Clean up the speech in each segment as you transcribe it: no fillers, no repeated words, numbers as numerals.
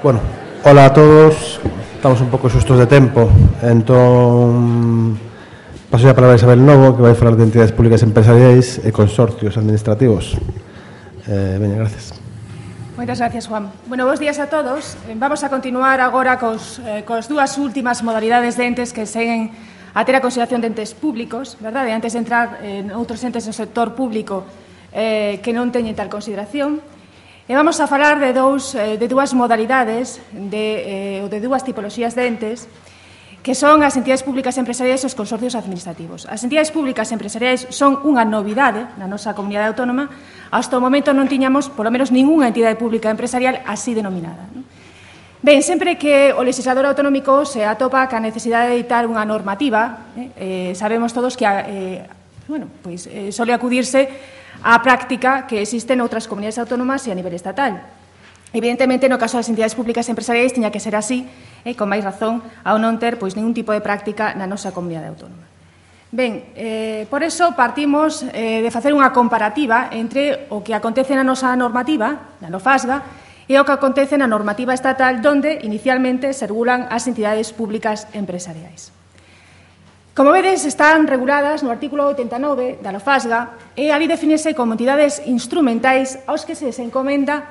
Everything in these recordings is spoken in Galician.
Bueno, hola a todos. Estamos un pouco xustos de tempo. Entón, paso a palabra a Isabel Novo, que vai falar de entidades públicas empresariais e consorcios administrativos. Veña, gracias. Moitas gracias, Juan. Bueno, bons días a todos. Vamos a continuar agora cos dúas últimas modalidades de entes que seguen a ter a consideración de entes públicos, verdade? Antes de entrar en outros entes do sector público que non teñen tal consideración. E vamos a falar de dúas modalidades ou de dúas tipoloxías de entes que son as entidades públicas empresariais e os consorcios administrativos. As entidades públicas empresariais son unha novidade na nosa comunidade autónoma. Hasta o momento non tiñamos, polo menos, ningunha entidade pública empresarial así denominada. Ben, sempre que o legislador autonómico se atopa ca necesidade de editar unha normativa, sabemos todos que sole acudirse á práctica que existe noutras comunidades autónomas e a nivel estatal. Evidentemente, no caso das entidades públicas empresariais, tiña que ser así, con máis razón, ao non ter ningún tipo de práctica na nosa comunidade autónoma. Ben, por eso partimos de facer unha comparativa entre o que acontece na nosa normativa, na NOFASGA, e o que acontece na normativa estatal, onde inicialmente se regulan as entidades públicas empresariais. Como vedes, están reguladas no artículo 89 da NOFASGA e ali definese como entidades instrumentais aos que se les encomenda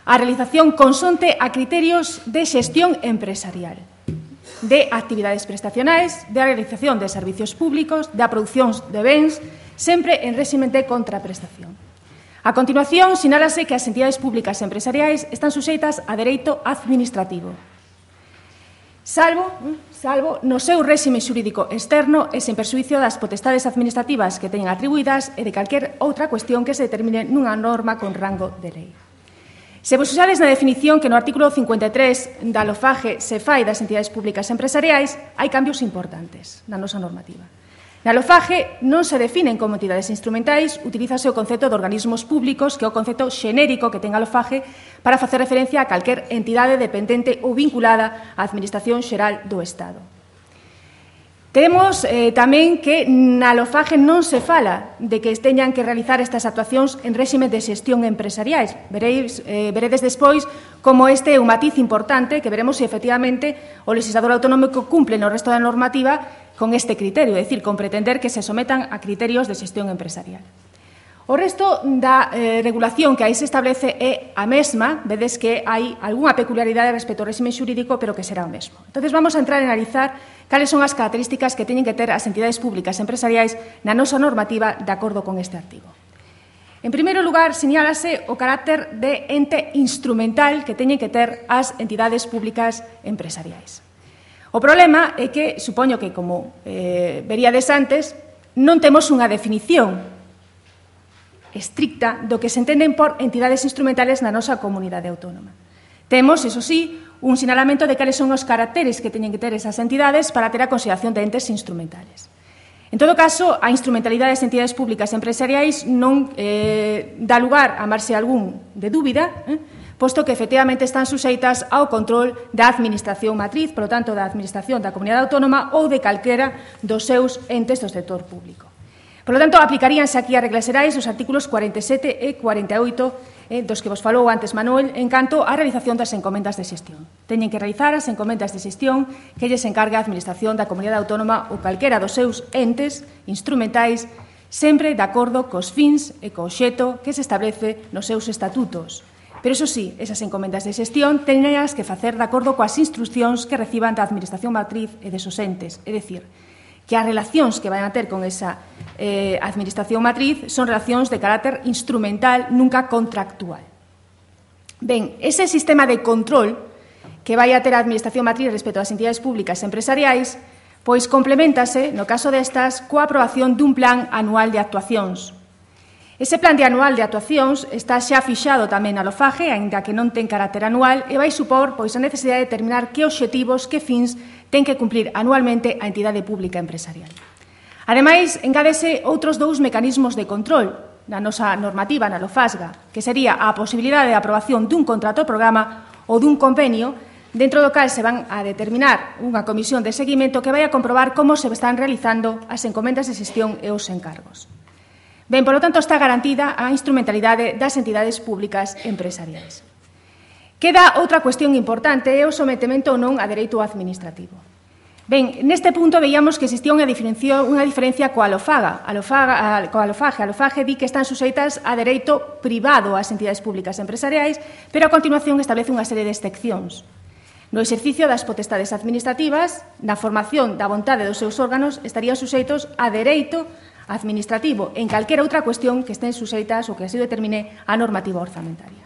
a realización consonte a criterios de xestión empresarial, de actividades prestacionais, de realización de servicios públicos, da produción de bens, sempre en réximen de contraprestación. A continuación, sinálase que as entidades públicas empresariais están suxeitas a dereito administrativo, salvo no seu réxime xurídico externo e sen perxuízo das potestades administrativas que teñen atribuídas e de calquer outra cuestión que se determine nunha norma con rango de lei. Se vos usades na definición que no artículo 53 da LOFAGE se fai das entidades públicas empresariais, hai cambios importantes na nosa normativa. Na LOFAGE non se definen como entidades instrumentais, utilízase o concepto de organismos públicos, que é o concepto xenérico que ten a LOFAGE para facer referencia a calquer entidade dependente ou vinculada á Administración Xeral do Estado. Temos tamén que na LOFAGE non se fala de que teñan que realizar estas actuacións en réxime de xestión empresariais. Veredes despois como este é un matiz importante que veremos se efectivamente o legislador autonómico cumple no resto da normativa con este criterio, é dicir, con pretender que se sometan a criterios de xestión empresarial. O resto da regulación que aí se establece é a mesma, vedes que hai algunha peculiaridade respecto ao réxime xurídico, pero que será o mesmo. Entón, vamos a entrar en analizar cales son as características que teñen que ter as entidades públicas empresariais na nosa normativa de acordo con este artigo. En primeiro lugar, señálase o carácter de ente instrumental que teñen que ter as entidades públicas empresariais. O problema é que, supoño que, como veríades antes, non temos unha definición estricta do que se entenden por entidades instrumentales na nosa comunidade autónoma. Temos, iso sí, un sinalamento de cales son os caracteres que teñen que ter esas entidades para ter a consideración de entes instrumentales. En todo caso, a instrumentalidade das entidades públicas empresariais non dá lugar a marxe algún de dúbida, posto que efectivamente están suxeitas ao control da administración matriz, por lo tanto, da administración da comunidade autónoma ou de calquera dos seus entes do sector público. Por lo tanto, aplicaríanse aquí as reglas xerais os artículos 47 e 48 dos que vos falou antes Manuel en canto á realización das encomendas de xestión. Teñen que realizar as encomendas de xestión que lles encarga a administración da comunidade autónoma ou calquera dos seus entes instrumentais sempre de acordo cos fins e co obxecto que se establece nos seus estatutos. Pero, iso sí, esas encomendas de xestión teñenlas que facer de acordo coas instruccións que reciban da administración matriz e desos entes, é dicir, que as relacións que vayan a ter con esa administración matriz son relacións de carácter instrumental, nunca contractual. Ben, ese sistema de control que vai a ter a administración matriz respecto ás entidades públicas empresariais, pois complementase, no caso destas, coa aprobación dun plan anual de actuacións. Ese plan de anual de actuacións está xa fixado tamén na LOFAGE, aínda que non ten carácter anual, e vai supor a necesidade de determinar que obxectivos, que fins ten que cumplir anualmente a entidade pública empresarial. Ademais, engádese outros dous mecanismos de control na nosa normativa, na LOFASGA, que sería a posibilidade de aprobación dun contrato programa ou dun convenio, dentro do cal se van a determinar unha comisión de seguimento que vai a comprobar como se están realizando as encomendas de xestión e os encargos. Ben, por lo tanto, está garantida a instrumentalidade das entidades públicas empresariais. Queda outra cuestión importante, é o sometemento ou non a dereito administrativo. Ben, neste punto veíamos que existía unha diferencia coa Alofaga. A Alofaga di que están suxeitas a dereito privado ás entidades públicas empresariais, pero a continuación establece unha serie de excepcións. No exercicio das potestades administrativas, na formación da vontade dos seus órganos, estarían suxeitos a dereito administrativo en calquera outra cuestión que estén suxeitas ou que así determine a normativa orzamentaria.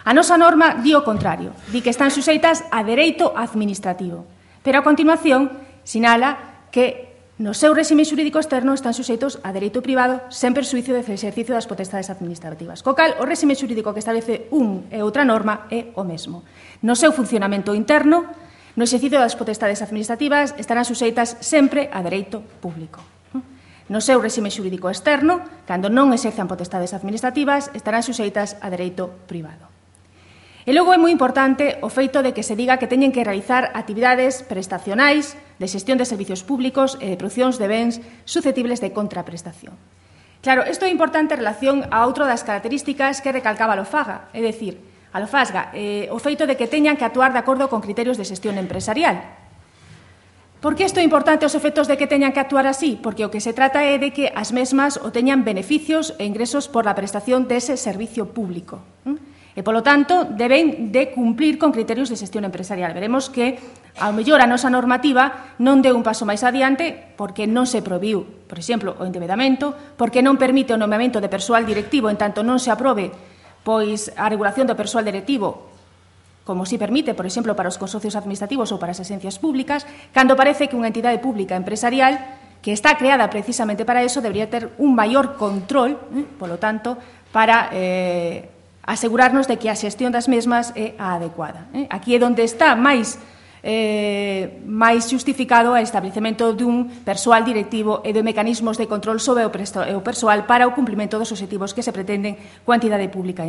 A nosa norma di o contrario, di que están suxeitas a dereito administrativo, pero a continuación sinala que no seu réxime xurídico externo están suxeitos a dereito privado sen perxuízo do exercicio das potestades administrativas. Co cal, o réxime xurídico que establece un e outra norma é o mesmo. No seu funcionamento interno, no exercicio das potestades administrativas estarán suxeitas sempre a dereito público. No seu réxime xurídico externo, cando non exerzan potestades administrativas, estarán suxeitas a dereito privado. E logo é moi importante o feito de que se diga que teñen que realizar actividades prestacionais de xestión de servicios públicos e de producións de bens susceptibles de contraprestación. Claro, isto é importante en relación a outra das características que recalcaba a Alofaga, é dicir, a Lofasga, o feito de que teñan que actuar de acordo con criterios de xestión empresarial. Por que isto é importante os efectos de que teñan que actuar así? Porque o que se trata é de que as mesmas o teñan beneficios e ingresos por la prestación dese servicio público. E, polo tanto, deben de cumplir con criterios de xestión empresarial. Veremos que, ao mellor, a nosa normativa non deu un paso máis adiante porque non se prohibiu, por exemplo, o endebedamento, porque non permite o nomeamento de persoal directivo en tanto non se aprobe pois a regulación do persoal directivo, como si permite, por exemplo, para os consorcios administrativos ou para as axencias públicas, cando parece que unha entidade pública empresarial que está creada precisamente para eso debería ter un maior control, polo tanto, para asegurarnos de que a xestión das mesmas é a adecuada. Aquí é onde está máis xustificado o establecemento dun persoal directivo e de mecanismos de control sobre o persoal para o cumprimento dos obxectivos que se pretenden coa entidade pública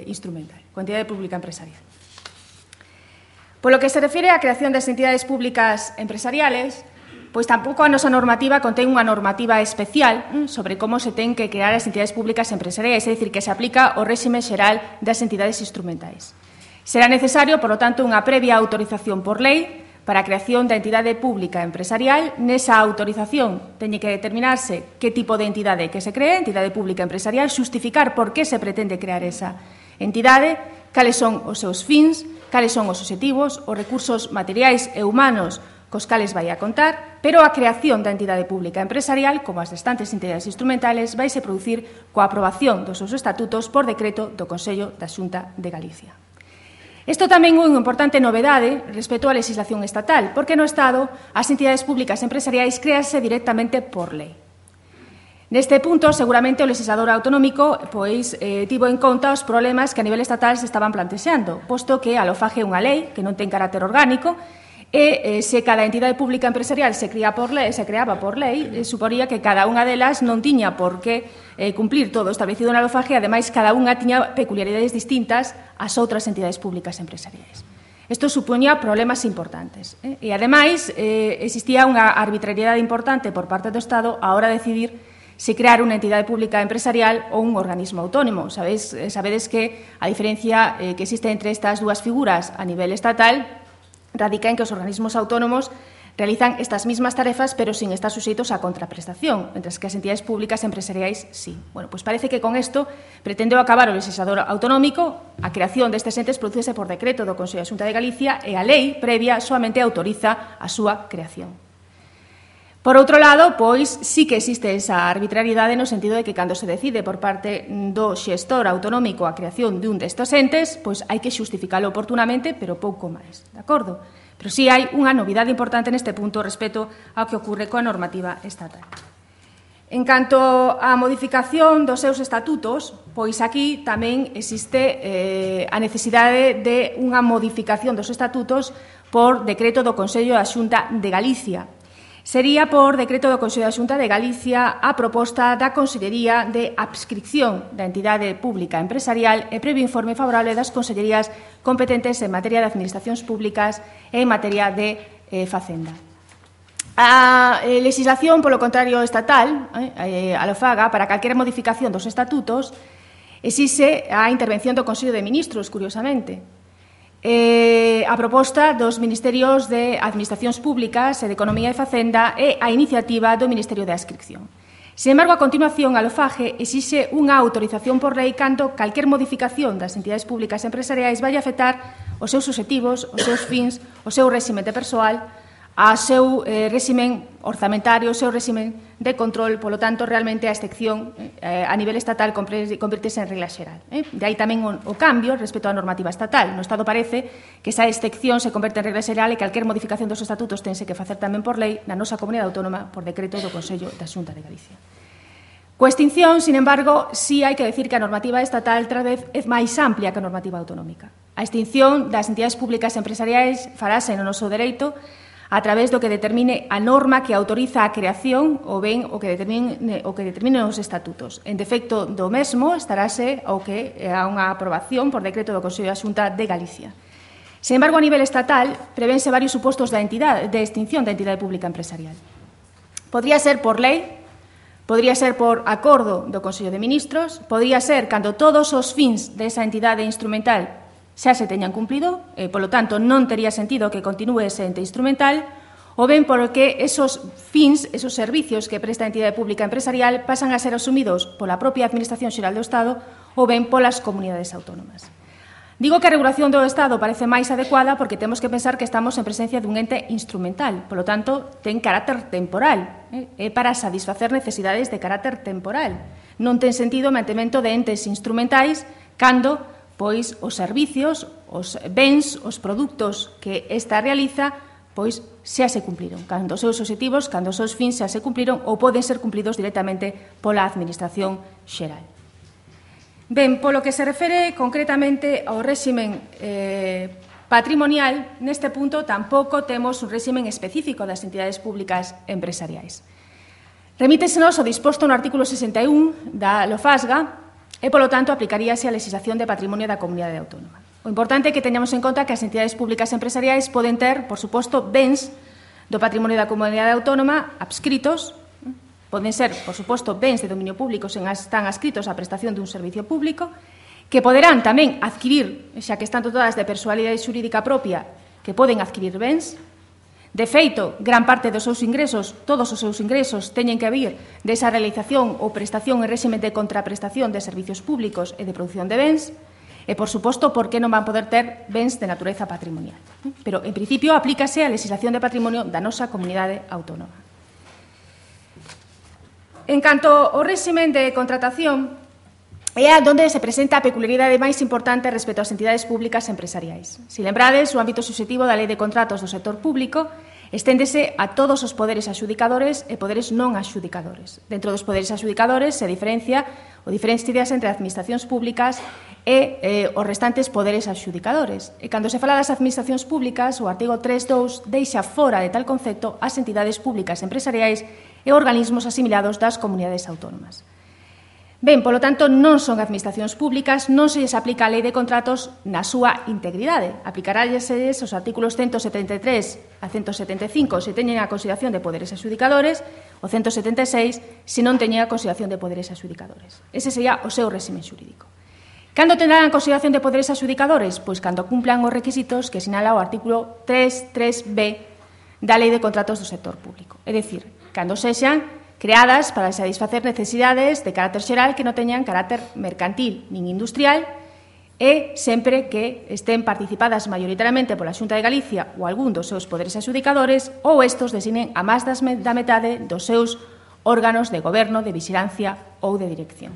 instrumental, coa entidade pública empresarial. Polo que se refire á creación das entidades públicas empresariales, pois tampouco a nosa normativa contén unha normativa especial sobre como se ten que crear as entidades públicas empresariais, é dicir, que se aplica o réxime xeral das entidades instrumentais. Será necesario, por lo tanto, unha previa autorización por lei para a creación da entidade pública empresarial. Nesa autorización teñe que determinarse que tipo de entidade que se cree, entidade pública empresarial, xustificar por que se pretende crear esa entidade, cales son os seus fins, cales son os obxectivos, os recursos materiais e humanos cos cales vai a contar, pero a creación da entidade pública empresarial, como as restantes entidades instrumentales, vaise producir coa aprobación dos seus estatutos por decreto do Consello da Xunta de Galicia. Isto tamén é unha importante novedade respecto á legislación estatal, porque no Estado as entidades públicas empresariais créanse directamente por lei. Neste punto, seguramente o legislador autonómico tivo en conta os problemas que a nivel estatal se estaban plantexando, posto que a LOFAGE é unha lei que non ten carácter orgánico e se cada entidade pública empresarial se creaba por lei, suporía que cada unha delas non tiña por que cumplir todo o establecido na LOFAGE, e ademais cada unha tiña peculiaridades distintas ás outras entidades públicas empresariais. Isto supoñía problemas importantes. E ademais existía unha arbitrariedade importante por parte do Estado a hora de decidir se crear unha entidade pública empresarial ou un organismo autónomo. Sabedes que a diferencia que existe entre estas dúas figuras a nivel estatal radica en que os organismos autónomos realizan estas mismas tarefas, pero sin estar suxeitos á contraprestación, mentres que as entidades públicas empresariais sí. Bueno, pois parece que con isto pretendeu acabar o legislador autonómico, a creación destes entes producese por decreto do Consello da Xunta de Galicia e a lei previa soamente autoriza a súa creación. Por outro lado, pois, sí que existe esa arbitrariedade no sentido de que cando se decide por parte do xestor autonómico a creación dun destes entes, pois hai que xustificalo oportunamente, pero pouco máis, de acordo? Pero sí hai unha novidade importante neste punto respecto ao que ocorre coa normativa estatal. En canto á modificación dos seus estatutos, pois aquí tamén existe a necesidade de unha modificación dos estatutos por decreto do Consello da Xunta de Galicia. Sería por decreto do Consello da Xunta de Galicia a proposta da Consellería de Adscripción da entidade pública empresarial e previo informe favorable das consellerías competentes en materia de administracións públicas e en materia de Facenda. A legislación, polo contrario, estatal, a LOFAGA, para calquera modificación dos estatutos, exixe a intervención do Consello de Ministros, curiosamente. a proposta dos Ministerios de Administracións Públicas e de Economía e Facenda e a iniciativa do Ministerio de Adscripción. Sin embargo, a continuación, a LOFAGE exixe unha autorización por lei cando calquer modificación das entidades públicas empresariais vai afectar os seus obxectivos, os seus fins, o seu réxime de persoal, ao seu réximen orzamentario, o seu réximen de control. Polo tanto, realmente a excepción a nivel estatal convirtese en regla xeral. De aí tamén o cambio respecto á normativa estatal. No Estado parece que esa excepción se converte en regla xeral e calquer modificación dos estatutos tense que facer tamén por lei na nosa comunidade autónoma por decreto do Consello da Xunta de Galicia. Coa extinción, sin embargo, sí hai que decir que a normativa estatal outra vez é máis amplia que a normativa autonómica. A extinción das entidades públicas empresariais farase no noso dereito a través do que determine a norma que autoriza a creación ou ben o que determine os estatutos. En defecto do mesmo estarase o que a unha aprobación por decreto do Consello da Xunta de Galicia. Sin embargo, a nivel estatal, prevense varios supostos de extinción da entidade pública empresarial. Podría ser por lei, podría ser por acordo do Consello de Ministros, podría ser cando todos os fins desa entidade instrumental xa se teñan cumplido, polo tanto, non tería sentido que continúe ese ente instrumental, ou ben porque esos fins, esos servicios que presta a entidade pública empresarial pasan a ser asumidos pola propia Administración Xeral do Estado ou ben polas comunidades autónomas. Digo que a regulación do Estado parece máis adecuada porque temos que pensar que estamos en presencia dun ente instrumental, polo tanto, ten carácter temporal, é para satisfacer necesidades de carácter temporal. Non ten sentido o mantemento de entes instrumentais cando pois os servicios, os bens, os produtos que esta realiza, pois xa se cumpliron. Cando os seus obxectivos, cando os seus fins xa se cumpliron ou poden ser cumplidos directamente pola Administración Xeral. Ben, polo que se refere concretamente ao réximen patrimonial, neste punto tampouco temos un réximen específico das entidades públicas empresariais. Remítesenos o disposto no artículo 61 da LOFASGA, e, polo tanto, aplicaríase a legislación de patrimonio da comunidade autónoma. O importante é que teñamos en conta que as entidades públicas empresariais poden ter, por suposto, bens do patrimonio da comunidade autónoma adscritos, poden ser, por suposto, bens de dominio público se están adscritos á prestación dun servicio público, que poderán tamén adquirir, xa que están dotadas de persoalidade xurídica propia, que poden adquirir bens. De feito, gran parte dos seus ingresos, todos os seus ingresos, teñen que vir desa realización ou prestación en réxime de contraprestación de servicios públicos e de produción de bens, e, por suposto, por que non van poder ter bens de natureza patrimonial. Pero, en principio, aplícase a legislación de patrimonio da nosa comunidade autónoma. En canto ao réxime de contratación, é onde se presenta a peculiaridade máis importante respecto ás entidades públicas empresariais. Se lembrades, o ámbito subxectivo da Lei de Contratos do sector público esténdese a todos os poderes axudicadores e poderes non axudicadores. Dentro dos poderes axudicadores se diferencias entre administracións públicas e os restantes poderes axudicadores. E cando se fala das administracións públicas, o artigo 3.2 deixa fora de tal concepto as entidades públicas empresariais e organismos asimilados das comunidades autónomas. Ben, polo tanto, non son administracións públicas, non se lles aplica a Lei de Contratos na súa integridade. Aplicarálles os artículos 173 a 175 se teñen a consideración de poderes adxudicadores, o 176 se non teñen a consideración de poderes adxudicadores. Ese sería o seu réxime xurídico. Cando tendrán a consideración de poderes adxudicadores? Pois cando cumplan os requisitos que sinala o artículo 3.3b da Lei de Contratos do sector público. É dicir, cando sexan creadas para satisfacer necesidades de carácter xeral que non teñan carácter mercantil nin industrial e sempre que estén participadas maioritariamente pola Xunta de Galicia ou algún dos seus poderes adxudicadores ou estos designen a máis da metade dos seus órganos de goberno, de vixilancia ou de dirección.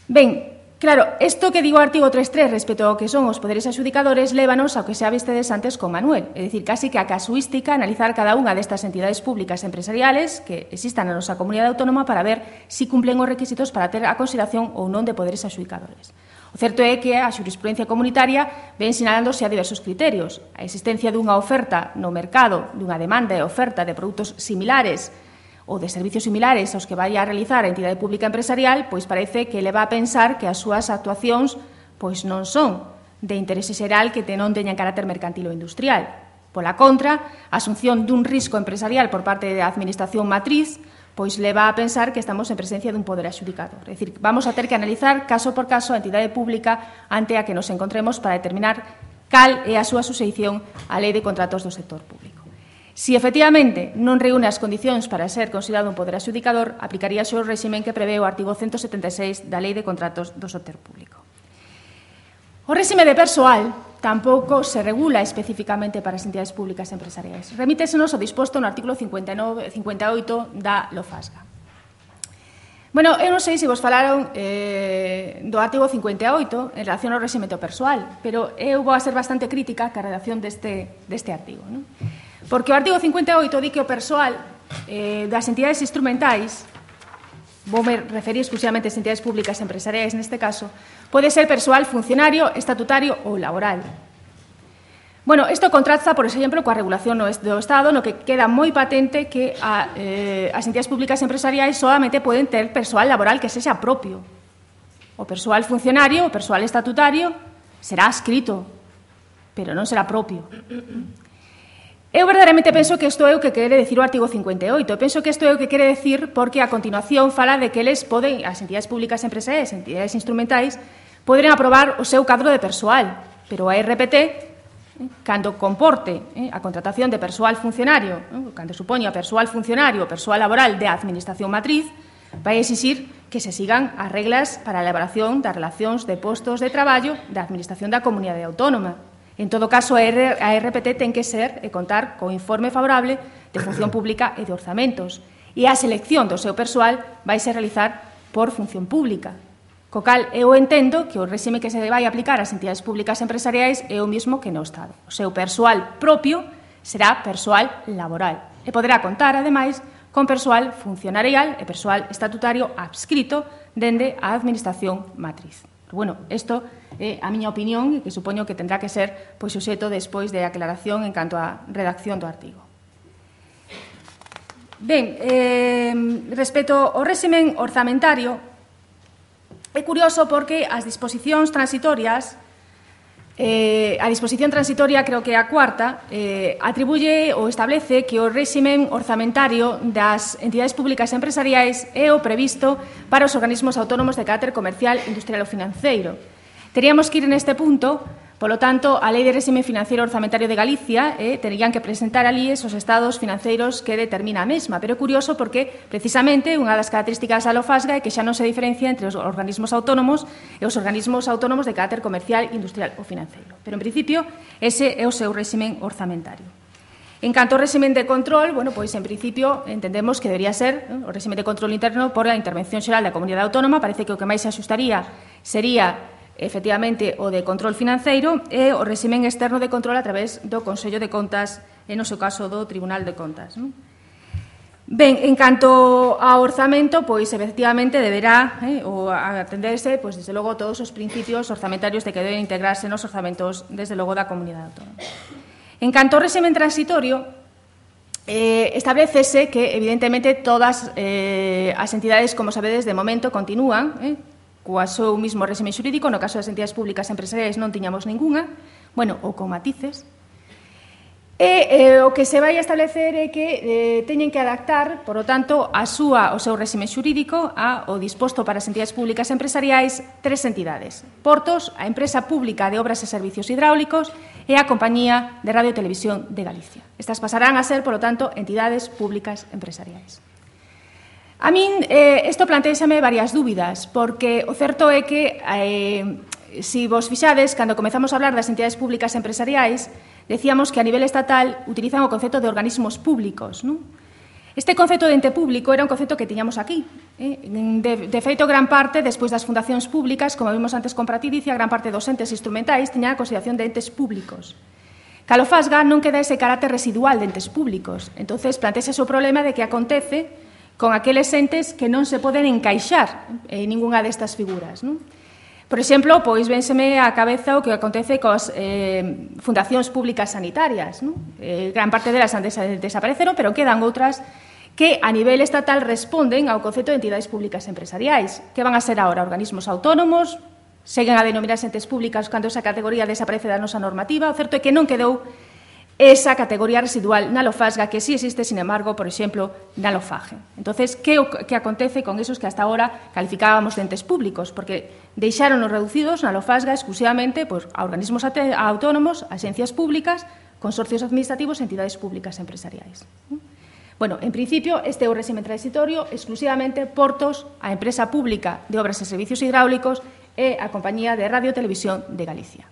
Ben, claro, isto que digo o artigo 3.3 respecto ao que son os poderes adxudicadores lévanos ao que xa vistedes antes con Manuel, é dicir, casi que a casuística analizar cada unha destas entidades públicas empresariales que existan na nosa comunidade autónoma para ver si cumplen os requisitos para ter a consideración ou non de poderes adxudicadores. O certo é que a xurisprudencia comunitaria ven sinalándose a diversos criterios. A existencia dunha oferta no mercado, dunha demanda e oferta de produtos similares ou de servicios similares aos que vai a realizar a entidade pública empresarial, pois parece que leva a pensar que as súas actuacións pois non son de interese xeral que non teñan carácter mercantil ou industrial. Pola contra, a asunción dun risco empresarial por parte da administración matriz pois leva a pensar que estamos en presencia dun poder adxudicador. É dicir, vamos a ter que analizar caso por caso a entidade pública ante a que nos encontremos para determinar cal é a súa suxeición á Lei de Contratos do Sector Público. Si efectivamente non reúne as condicións para ser considerado un poder adxudicador, aplicaríase o réximen que prevé o artigo 176 da Lei de Contratos do Sector Público. O réxime de persoal tampouco se regula especificamente para as entidades públicas empresariais. Remítesenos o disposto no artículo 58 da LOFASGA. Bueno, eu non sei se vos falaron do artigo 58 en relación ao réxime do persoal, pero eu vou a ser bastante crítica ca redacción deste artigo, non? Porque o artigo 58 di que o persoal das entidades instrumentais, vou me referir exclusivamente ás entidades públicas empresariais neste caso, pode ser persoal funcionario, estatutario ou laboral. Bueno, isto contrasta, por exemplo, coa regulación do Estado, no que queda moi patente que as entidades públicas empresariais solamente poden ter persoal laboral que sexa propio. O persoal funcionario, o persoal estatutario, será adscrito, pero non será propio. Eu verdadeiramente penso que isto é o que quere decir o artigo 58. Penso que isto é o que quere decir porque a continuación fala de que eles poden, as entidades públicas empresariais, as entidades instrumentais, poden aprobar o seu cadro de persoal, pero a RPT, cando comporte a contratación de persoal funcionario, cando supoña persoal funcionario, persoal laboral de administración matriz, vai exixir que se sigan as reglas para a elaboración das relacións de postos de traballo da administración da comunidade autónoma. En todo caso, a RPT ten que ser e contar co informe favorable de función pública e de orzamentos. E a selección do seu persoal vai se realizar por función pública. Co cal, eu entendo que o réxime que se vai aplicar ás entidades públicas empresariais é o mesmo que no Estado. O seu persoal propio será persoal laboral e poderá contar, ademais, con persoal funcionarial e persoal estatutario adscrito dende a administración matriz. Pero, bueno, isto é a miña opinión e que supoño que tendrá que ser suxeto despois de aclaración en canto á redacción do artigo. Ben, respecto ao réximen orzamentario, é curioso porque as disposicións transitorias, a disposición transitoria, creo que é a cuarta, atribuye ou establece que o réximen orzamentario das entidades públicas empresariais é o previsto para os organismos autónomos de carácter comercial, industrial ou financeiro. Teríamos que ir neste punto, polo tanto, a Lei de Réxime Financiero Orzamentario de Galicia terían que presentar alí esos estados financeiros que determina a mesma, pero é curioso porque, precisamente, unha das características da LOFASGA é que xa non se diferencia entre os organismos autónomos e os organismos autónomos de carácter comercial, industrial ou financeiro. Pero, en principio, ese é o seu réximen orzamentario. En canto ao réximen de control, bueno, pois, en principio, entendemos que debería ser o réximen de control interno por a intervención xeral da comunidade autónoma. Parece que o que máis se axustaría sería efectivamente o de control financeiro e o réximen externo de control a través do Consello de Contas e, no seu caso, do Tribunal de Contas. Ben, en canto ao orzamento, pois, efectivamente, deberá atenderse, pois, desde logo, todos os principios orzamentarios de que deben integrarse nos orzamentos, desde logo, da comunidade autónoma. En canto ao réximen transitorio, establecese que, evidentemente, todas as entidades, como sabedes, de momento continúan coa seu mismo réxime xurídico. No caso das entidades públicas empresariais non tiñamos ninguna, bueno, ou con matices. E o que se vai establecer é que teñen que adaptar, por lo tanto, o seu réxime xurídico ao disposto para as entidades públicas empresariais tres entidades: Portos, a Empresa Pública de Obras e Servicios Hidráulicos e a Compañía de Radio e Televisión de Galicia. Estas pasarán a ser, por lo tanto, entidades públicas empresariais. A min isto plantéxame varias dúbidas, porque o certo é que, se vos fixades, cando comezamos a hablar das entidades públicas empresariais, decíamos que a nivel estatal utilizan o concepto de organismos públicos, non? Este concepto de ente público era un concepto que tiñamos aquí. De feito, gran parte, despois das fundacións públicas, como vimos antes con Pratidicia, gran parte dos entes instrumentais tiñan a consideración de entes públicos. Calofasga non queda ese carácter residual de entes públicos. Entonces, plantexa o problema de que acontece con aqueles entes que non se poden encaixar en ningunha destas figuras, non? Por exemplo, pois vénseme á cabeza o que acontece coas fundacións públicas sanitarias, non? Gran parte delas han desapareceron, pero quedan outras que a nivel estatal responden ao concepto de entidades públicas empresariais. Que van a ser agora? Organismos autónomos? Seguen a denominarse entes públicas cando esa categoría desaparece da nosa normativa? O certo é que non quedou esa categoría residual na Lofasga que sí existe, sin embargo, por exemplo, na Lofagen. Entonces, que acontece con esos que hasta ahora calificábamos de entes públicos? Porque deixaron os reducidos na Lofasga exclusivamente a organismos autónomos, a agencias públicas, consorcios administrativos e entidades públicas empresariais. Bueno, en principio, este é o réxime transitorio exclusivamente portos, a empresa pública de obras e servicios hidráulicos e a Compañía de Radio e Televisión de Galicia.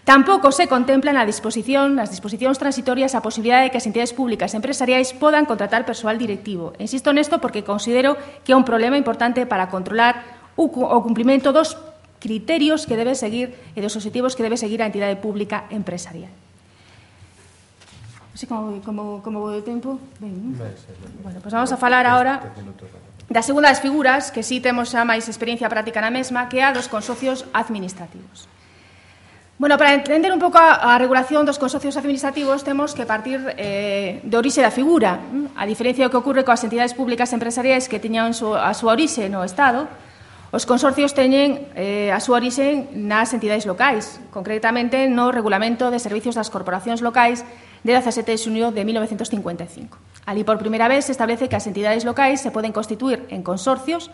Tampouco se contempla nas disposicións transitorias a posibilidade de que as entidades públicas empresariais podan contratar persoal directivo. Insisto nesto porque considero que é un problema importante para controlar o cumprimento dos criterios que debe seguir e dos obxectivos que debe seguir a entidade pública empresarial. Así como vou de tempo. Ben, bueno, pues vamos a falar agora da segunda das figuras, que sí temos xa máis experiencia práctica na mesma, que é a dos consorcios administrativos. Bueno, para entender un pouco a regulación dos consorcios administrativos temos que partir de orixe da figura. A diferencia do que ocorre coas entidades públicas empresariais que teñan a súa orixe no Estado, os consorcios teñen a súa orixe nas entidades locais, concretamente no Regulamento de Servicios das Corporacións Locais de 17 de xunio de 1955. Ali, por primeira vez, se establece que as entidades locais se poden constituir en consorcios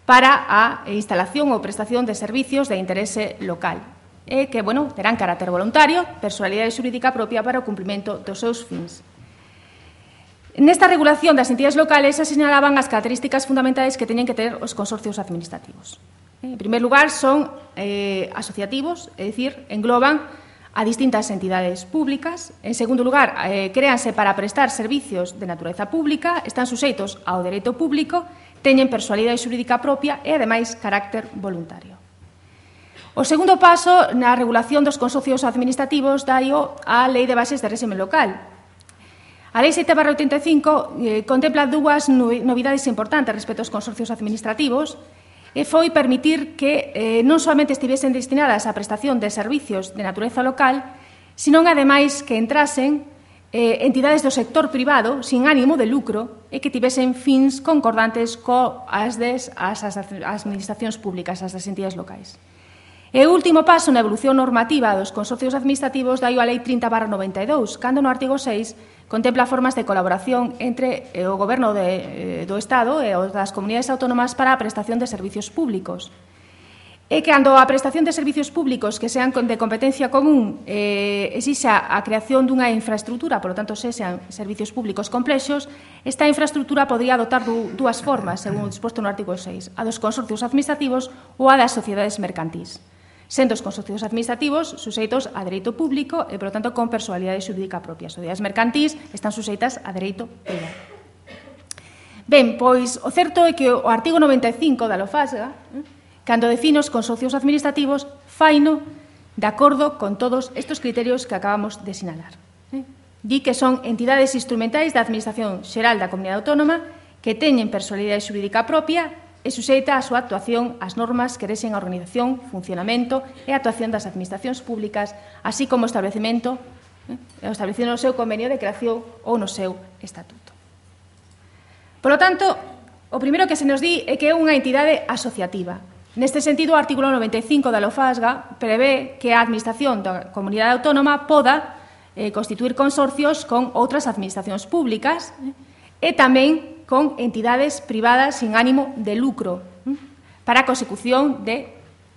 para a instalación ou prestación de servicios de interese local e que, bueno, terán carácter voluntario, personalidade xurídica propia para o cumprimento dos seus fins. Nesta regulación das entidades locales se señalaban as características fundamentais que teñen que ter os consorcios administrativos. En primer lugar, son asociativos, é dicir, engloban a distintas entidades públicas. En segundo lugar, créanse para prestar servicios de natureza pública, están suxeitos ao dereito público, teñen personalidade xurídica propia e, ademais, carácter voluntario. O segundo paso na regulación dos consorcios administrativos daio a Lei de Bases de Réxime Local. A Lei 7/85 contempla dúas novidades importantes respecto aos consorcios administrativos e foi permitir que non solamente estivesen destinadas á prestación de servicios de natureza local, senón, ademais, que entrasen entidades do sector privado sin ánimo de lucro e que tivesen fins concordantes coas administracións públicas, as das entidades locais. E o último paso na evolución normativa dos consorcios administrativos daio a Lei 30/92, cando no artigo 6 contempla formas de colaboración entre o Goberno do Estado e os das comunidades autónomas para a prestación de servicios públicos. E cando a prestación de servicios públicos que sean de competencia común exixa a creación dunha infraestructura, por lo tanto, sexan servicios públicos complexos, esta infraestructura podría adoptar dúas formas, según o disposto no artigo 6, a dos consorcios administrativos ou a das sociedades mercantís, sendo os consorcios administrativos suxeitos a dereito público e, por lo tanto, con personalidade xurídica propia. As sociedades mercantís están suxeitas a dereito privado. Ben, pois, o certo é que o artigo 95 da Lofasga, cando define os consorcios administrativos, faino de acordo con todos estes criterios que acabamos de sinalar. Di que son entidades instrumentais da Administración Xeral da Comunidade Autónoma que teñen personalidade xurídica propia e suxeita a súa actuación ás normas que rexen a organización, funcionamento e actuación das administracións públicas, así como o establecimento no seu convenio de creación ou no seu estatuto. Por lo tanto, o primeiro que se nos di é que é unha entidade asociativa. Neste sentido, o artículo 95 da Lofasga prevé que a Administración da Comunidade Autónoma poda constituir consorcios con outras administracións públicas e tamén con entidades privadas sin ánimo de lucro para a consecución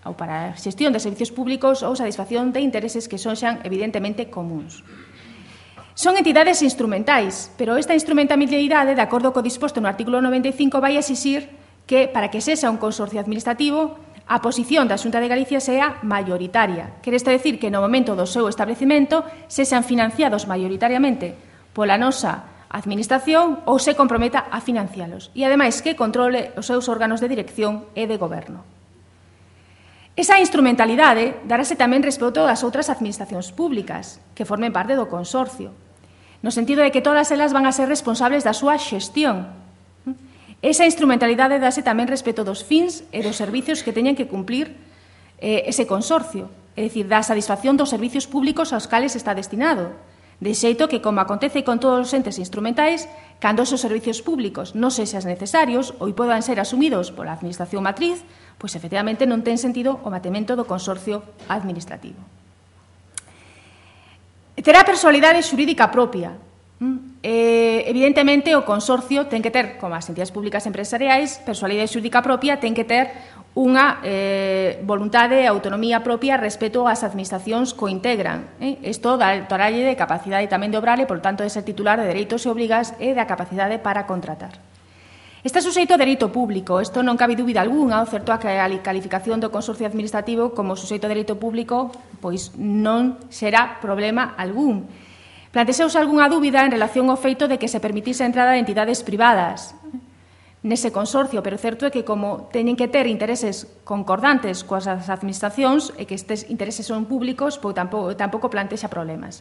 ou para a xestión de servicios públicos ou satisfacción de intereses que son xa evidentemente comuns. Son entidades instrumentais, pero esta instrumentalidade, de acordo co disposto no artículo 95, vai exixir que, para que sexa un consorcio administrativo, a posición da Xunta de Galicia sea maioritaria. Quere isto decir que no momento do seu establecemento sexan financiados maioritariamente pola nosa Administración ou se comprometa a financialos e, ademais, que controle os seus órganos de dirección e de goberno. Esa instrumentalidade darase tamén respecto das outras administracións públicas que formen parte do consorcio, no sentido de que todas elas van a ser responsables da súa xestión. Esa instrumentalidade dase tamén respecto dos fins e dos servicios que teñen que cumplir ese consorcio, é dicir, da satisfacción dos servicios públicos aos cales está destinado. De xeito que, como acontece con todos os entes instrumentais, cando esos servicios públicos non sexan necesarios ou podan ser asumidos pola Administración matriz, pois, efectivamente, non ten sentido o mantemento do consorcio administrativo. Terá personalidade xurídica propia. Evidentemente, o consorcio ten que ter, como as entidades públicas empresariais, personalidade xurídica propia, ten que ter unha voluntade e autonomía propia respecto ás administracións que o integran. Isto dotarlle de capacidade tamén de obrar e, por tanto, de ser titular de dereitos e obrigas e da capacidade para contratar. Está suxeito a dereito público. Isto non cabe dúbida algunha. O certo é que a calificación do consorcio administrativo como suxeito a dereito público pois non será problema algún. Planteouse algunha dúbida en relación ao feito de que se permitise a entrada de entidades privadas nese consorcio, pero certo é que como teñen que ter intereses concordantes coas administracións e que estes intereses son públicos, pois tampouco plantexa problemas.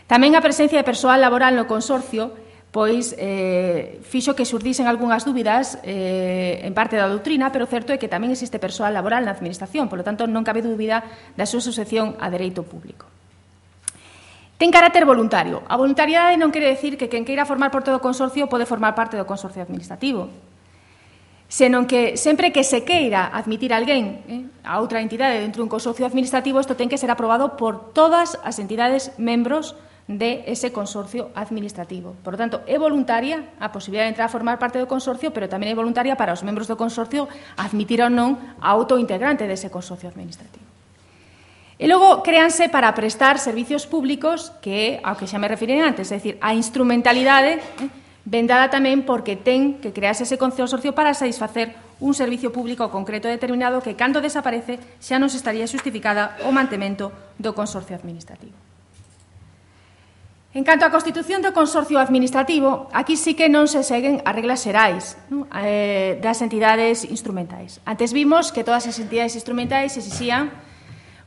Tamén a presencia de persoal laboral no consorcio pois fixo que xurdisen algunhas dúbidas en parte da doutrina, pero certo é que tamén existe persoal laboral na administración, polo tanto non cabe dúbida da súa suxección a dereito público. Ten carácter voluntario. A voluntariedade non quere decir que quen queira formar parte do consorcio pode formar parte do consorcio administrativo, senón que sempre que se queira admitir alguén a outra entidade dentro dun consorcio administrativo, isto ten que ser aprobado por todas as entidades membros de ese consorcio administrativo. Por lo tanto, é voluntaria a posibilidade de entrar a formar parte do consorcio, pero tamén é voluntaria para os membros do consorcio admitir ou non a outro integrante dese consorcio administrativo. E logo créanse para prestar servicios públicos que, ao que xa me referiré antes, é dicir, a instrumentalidade ven dada tamén porque ten que crearse ese consorcio para satisfacer un servicio público concreto determinado que, cando desaparece, xa non se estaría justificada o mantemento do consorcio administrativo. En canto á constitución do consorcio administrativo, aquí sí que non se seguen as reglas xerais das entidades instrumentais. Antes vimos que todas as entidades instrumentais exixían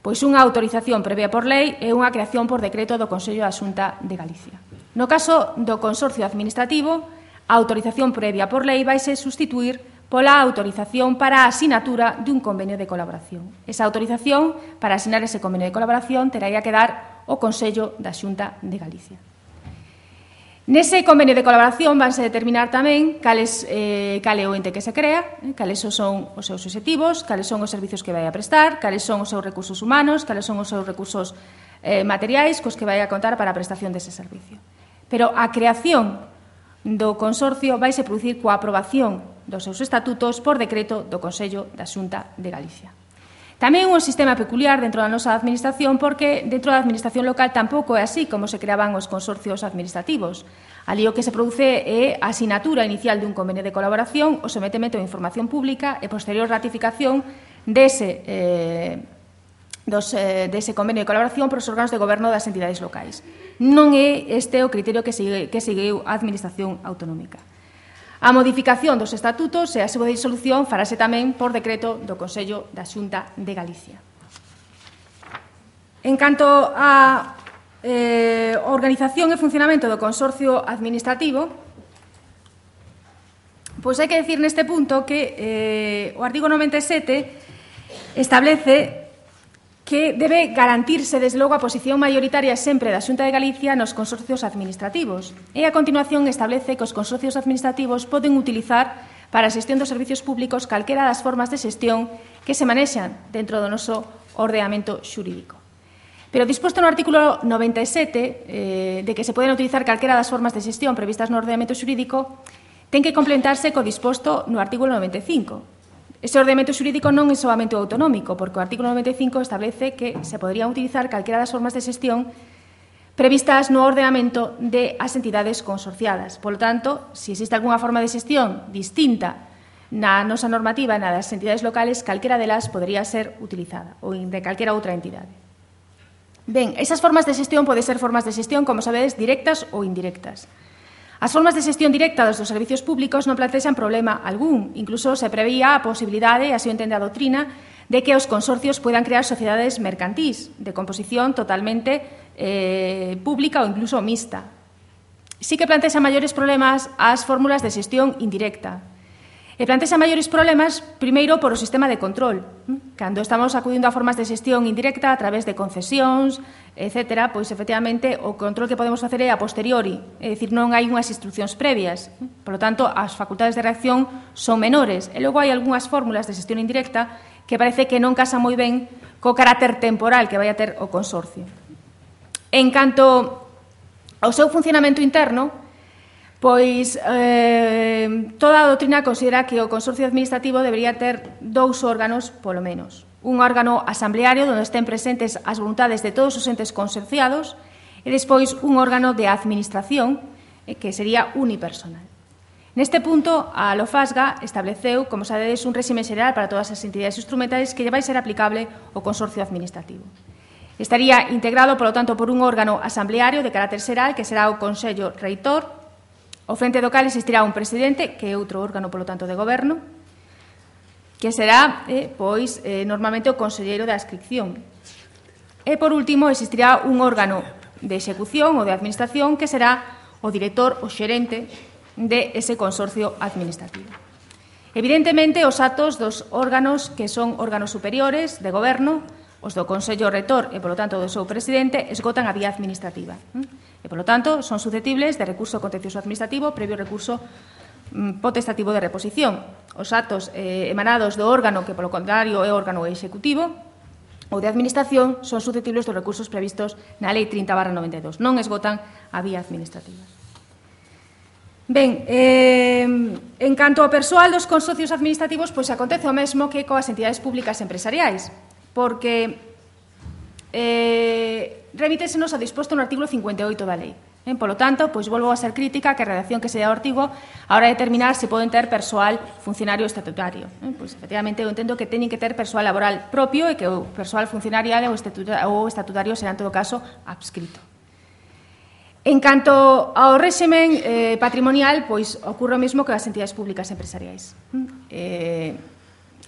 pois unha autorización previa por lei e unha creación por decreto do Consello da Xunta de Galicia. No caso do consorcio administrativo, a autorización previa por lei vaise sustituir pola autorización para a asinatura dun convenio de colaboración. Esa autorización para asinar ese convenio de colaboración terá que dar o Consello da Xunta de Galicia. Nese convenio de colaboración vanse determinar tamén cal é o ente que se crea, cales son os seus obxectivos, cales son os servizos que vai a prestar, cales son os seus recursos humanos, cales son os seus recursos materiais cos que vai a contar para a prestación dese servicio. Pero a creación do consorcio vaise producir coa aprobación dos seus estatutos por decreto do Consello da Xunta de Galicia. Tamén un sistema peculiar dentro da nosa administración porque dentro da administración local tampouco é así como se creaban os consorcios administrativos. Ali o que se produce é a asinatura inicial dun convenio de colaboración, o sometemento de información pública e posterior ratificación dese convenio de colaboración por os órganos de goberno das entidades locais. Non é este o criterio que seguiu a administración autonómica. A modificación dos estatutos e a súa disolución farase tamén por decreto do Consello da Xunta de Galicia. En canto á organización e funcionamento do consorcio administrativo, pois hai que decir neste punto que o artigo 97 establece que debe garantirse, desde logo, a posición maioritaria sempre da Xunta de Galicia nos consorcios administrativos. E, a continuación, establece que os consorcios administrativos poden utilizar para a xestión dos servicios públicos calquera das formas de xestión que se manexan dentro do noso ordenamento xurídico. Pero, disposto no artículo 97, de que se poden utilizar calquera das formas de xestión previstas no ordenamento xurídico, ten que complementarse co disposto no artículo 95. Ese ordenamento xurídico non é solamente o autonómico, porque o artículo 95 establece que se poderían utilizar calquera das formas de xestión previstas no ordenamento de as entidades consorciadas. Por lo tanto, se existe algunha forma de xestión distinta na nosa normativa na das entidades locales, calquera delas podería ser utilizada, ou de calquera outra entidade. Ben, esas formas de xestión poden ser formas de xestión, como sabedes, directas ou indirectas. As formas de xestión directa dos servicios públicos non plantexan problema algún. Incluso se preveía a posibilidade, así o entende a doutrina, de que os consorcios puedan crear sociedades mercantís de composición totalmente pública ou incluso mixta. Sí que plantexa maiores problemas as fórmulas de xestión indirecta. E plantexa maiores problemas, primeiro, por o sistema de control. Cando estamos acudindo a formas de xestión indirecta a través de concesións, etc., pois, efectivamente, o control que podemos facer é a posteriori, é dicir, non hai unhas instruccións previas. Por lo tanto, as facultades de reacción son menores. E logo hai algunhas fórmulas de xestión indirecta que parece que non casan moi ben co carácter temporal que vai a ter o consorcio. En canto ao seu funcionamento interno, pois toda a doutrina considera que o Consorcio Administrativo debería ter 2 órganos, polo menos. Un órgano asambleario onde estén presentes as voluntades de todos os entes consorciados e despois un órgano de administración que sería unipersonal. Neste punto, a LOFASGA estableceu, como sabedes, un réxime xeral para todas as entidades instrumentales que lle vai ser aplicable ao Consorcio Administrativo. Estaría integrado, polo tanto, por un órgano asambleario de carácter xeral, que será o Consello Reitor. Ao frente do cal existirá un presidente, que é outro órgano, polo tanto, de goberno, que será, normalmente o conselleiro da adscripción. E, por último, existirá un órgano de execución ou de administración, que será o director, o xerente de ese consorcio administrativo. Evidentemente, os atos dos órganos que son órganos superiores de goberno, os do Consello Reitor e, polo tanto, do seu presidente, esgotan a vía administrativa. E, polo tanto, son susceptibles de recurso contencioso administrativo previo recurso potestativo de reposición. Os atos emanados do órgano que, polo contrario, é órgano executivo ou de administración son susceptibles dos recursos previstos na Lei 30/92. Non esgotan a vía administrativa. Ben, en canto ao persoal dos consorcios administrativos, pois acontece o mesmo que coas entidades públicas empresariais, porque remítesenos ao disposto no artigo 58 da lei. Polo tanto, pois volvo a ser crítica que a redacción que se dá ao artigo a hora de determinar se poden ter persoal funcionario estatutario. Pois, efectivamente, eu entendo que teñen que ter persoal laboral propio e que o persoal funcionarial ou estatutario será, en todo caso, adscrito. En canto ao réximen patrimonial, pois ocorre o mesmo que as entidades públicas empresariais.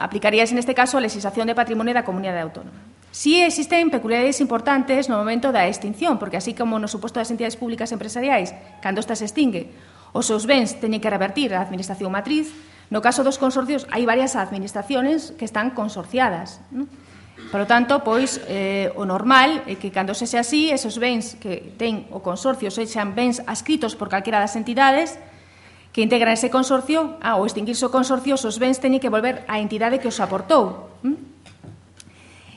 Aplicaríase neste caso a legislación de patrimonio da comunidade autónoma. Si existen peculiaridades importantes no momento da extinción, porque así como no suposto das entidades públicas empresariais, cando esta se extingue, os seus bens teñen que revertir a administración matriz, no caso dos consorcios hai varias administraciones que están consorciadas. Por lo tanto, pois, o normal é que cando sexa así, esos bens que ten o consorcio sexan bens adscritos por calquera das entidades que integran ese consorcio, ao extinguirse o consorcio, os bens teñen que volver á entidade que os aportou.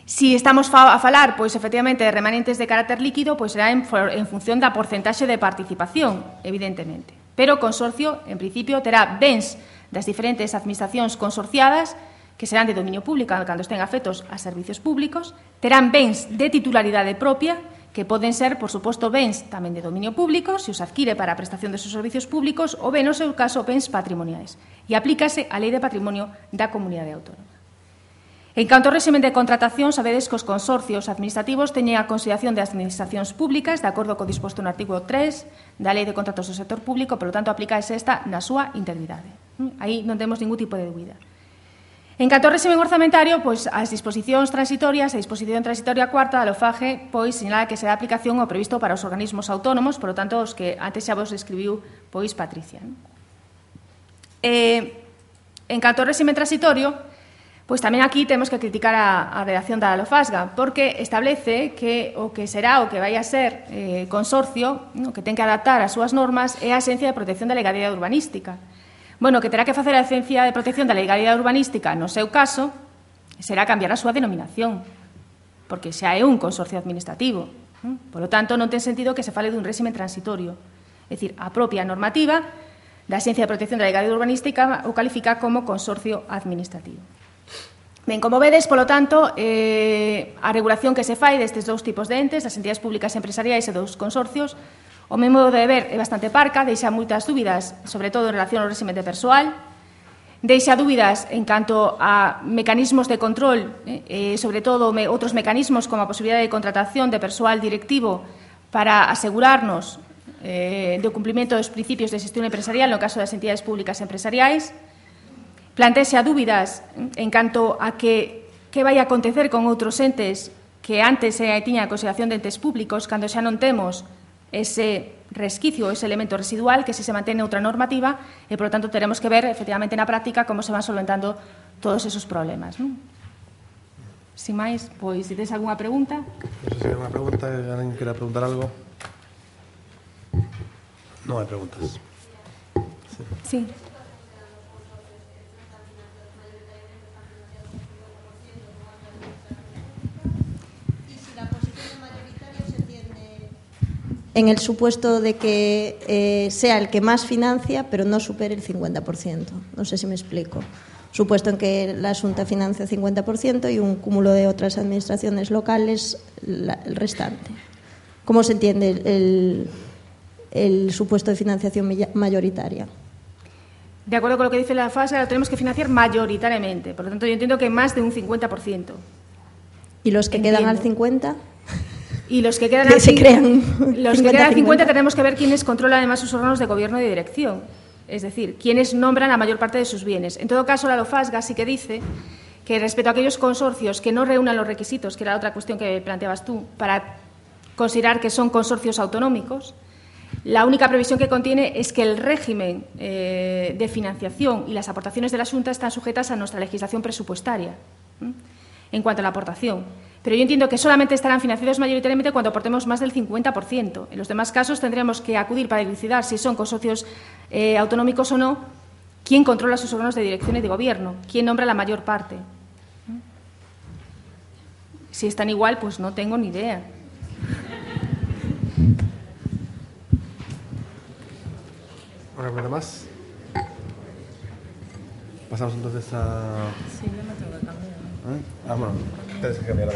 Si estamos a falar, pois, efectivamente, de remanentes de carácter líquido, pois será en función da porcentaxe de participación, evidentemente. Pero o consorcio, en principio, terá bens das diferentes administracións consorciadas que serán de dominio público cando estén afectos a servicios públicos, terán bens de titularidade propia, que poden ser, por suposto, bens tamén de dominio público, se os adquire para a prestación de seus servicios públicos, ou ben, no seu caso, bens patrimoniais. E aplícase a Lei de Patrimonio da Comunidade Autónoma. En canto ao réximen de contratación, sabedes que os consorcios administrativos teñen a consideración de administracións públicas, de acordo co disposto no artigo 3 da Lei de Contratos do Sector Público, polo tanto, aplícase esta na súa integridade. Aí non temos ningún tipo de dúbida. En canto ao réximen orzamentario, pois as disposicións transitorias, a disposición transitoria cuarta da LOFAGE, pois sinala que será aplicación ao previsto para os organismos autónomos, por lo tanto, os que antes xa vos describiu, pois, Patricia. En canto ao réximen transitorio, pois tamén aquí temos que criticar a redacción da LOFASGA, porque establece que o que será o que vai a ser consorcio, que ten que adaptar as súas normas, é a Axencia de Protección da Legalidade Urbanística. Bueno, que terá que facer a Agencia de Protección da Legalidade Urbanística, no seu caso, será cambiar a súa denominación, porque xa é un consorcio administrativo. Por lo tanto, non ten sentido que se fale dun réximen transitorio. É dicir, a propia normativa da Agencia de Protección da Legalidade Urbanística o califica como consorcio administrativo. Ben, como vedes, polo tanto, a regulación que se fai destes dous tipos de entes, das entidades públicas empresariais e dos consorcios, o meu modo de ver é bastante parca, deixa moitas dúbidas, sobre todo en relación ao réximen de persoal, deixa dúbidas en canto a mecanismos de control, sobre todo outros mecanismos como a posibilidade de contratación de persoal directivo para asegurarnos do cumprimento dos principios de xestión empresarial no caso das entidades públicas empresariais, plantexa dúbidas en canto a que vai a acontecer con outros entes que antes tiña a consideración de entes públicos cando xa non temos ese resquicio, ese elemento residual que se mantén outra normativa e, por lo tanto, teremos que ver, efectivamente, na práctica como se van solventando todos esos problemas. Sin máis, pois, se tes algunha pregunta. Non sei se hai unha pregunta, alguén quera preguntar algo. Non hai preguntas. Sí. en el supuesto de que sea el que más financia, pero no supere el 50%. No sé si me explico. Supuesto en que la Xunta financia el 50% y un cúmulo de otras administraciones locales el restante. ¿Cómo se entiende el supuesto de financiación mayoritaria? De acuerdo con lo que dice la FAS, lo tenemos que financiar mayoritariamente. Por lo tanto, yo entiendo que más de un 50%. ¿Y los que quedan al 50%? Y los que quedan al 50 tenemos que ver quiénes controlan además sus órganos de gobierno y de dirección. Es decir, quiénes nombran la mayor parte de sus bienes. En todo caso, la LOFASGA sí que dice que respecto a aquellos consorcios que no reúnan los requisitos, que era otra cuestión que planteabas tú, para considerar que son consorcios autonómicos, la única previsión que contiene es que el régimen de financiación y las aportaciones de la Xunta están sujetas a nuestra legislación presupuestaria en cuanto a la aportación. Pero yo entiendo que solamente estarán financiados mayoritariamente cuando aportemos más del 50%. En los demás casos tendremos que acudir para dilucidar si son consorcios autonómicos o no, quién controla sus órganos de dirección y de gobierno, quién nombra la mayor parte. Si están igual, pues no tengo ni idea. ¿Una pregunta más? Pasamos entonces a... Sí, yo no tengo que cambiar. Bueno, tienes que cambiar.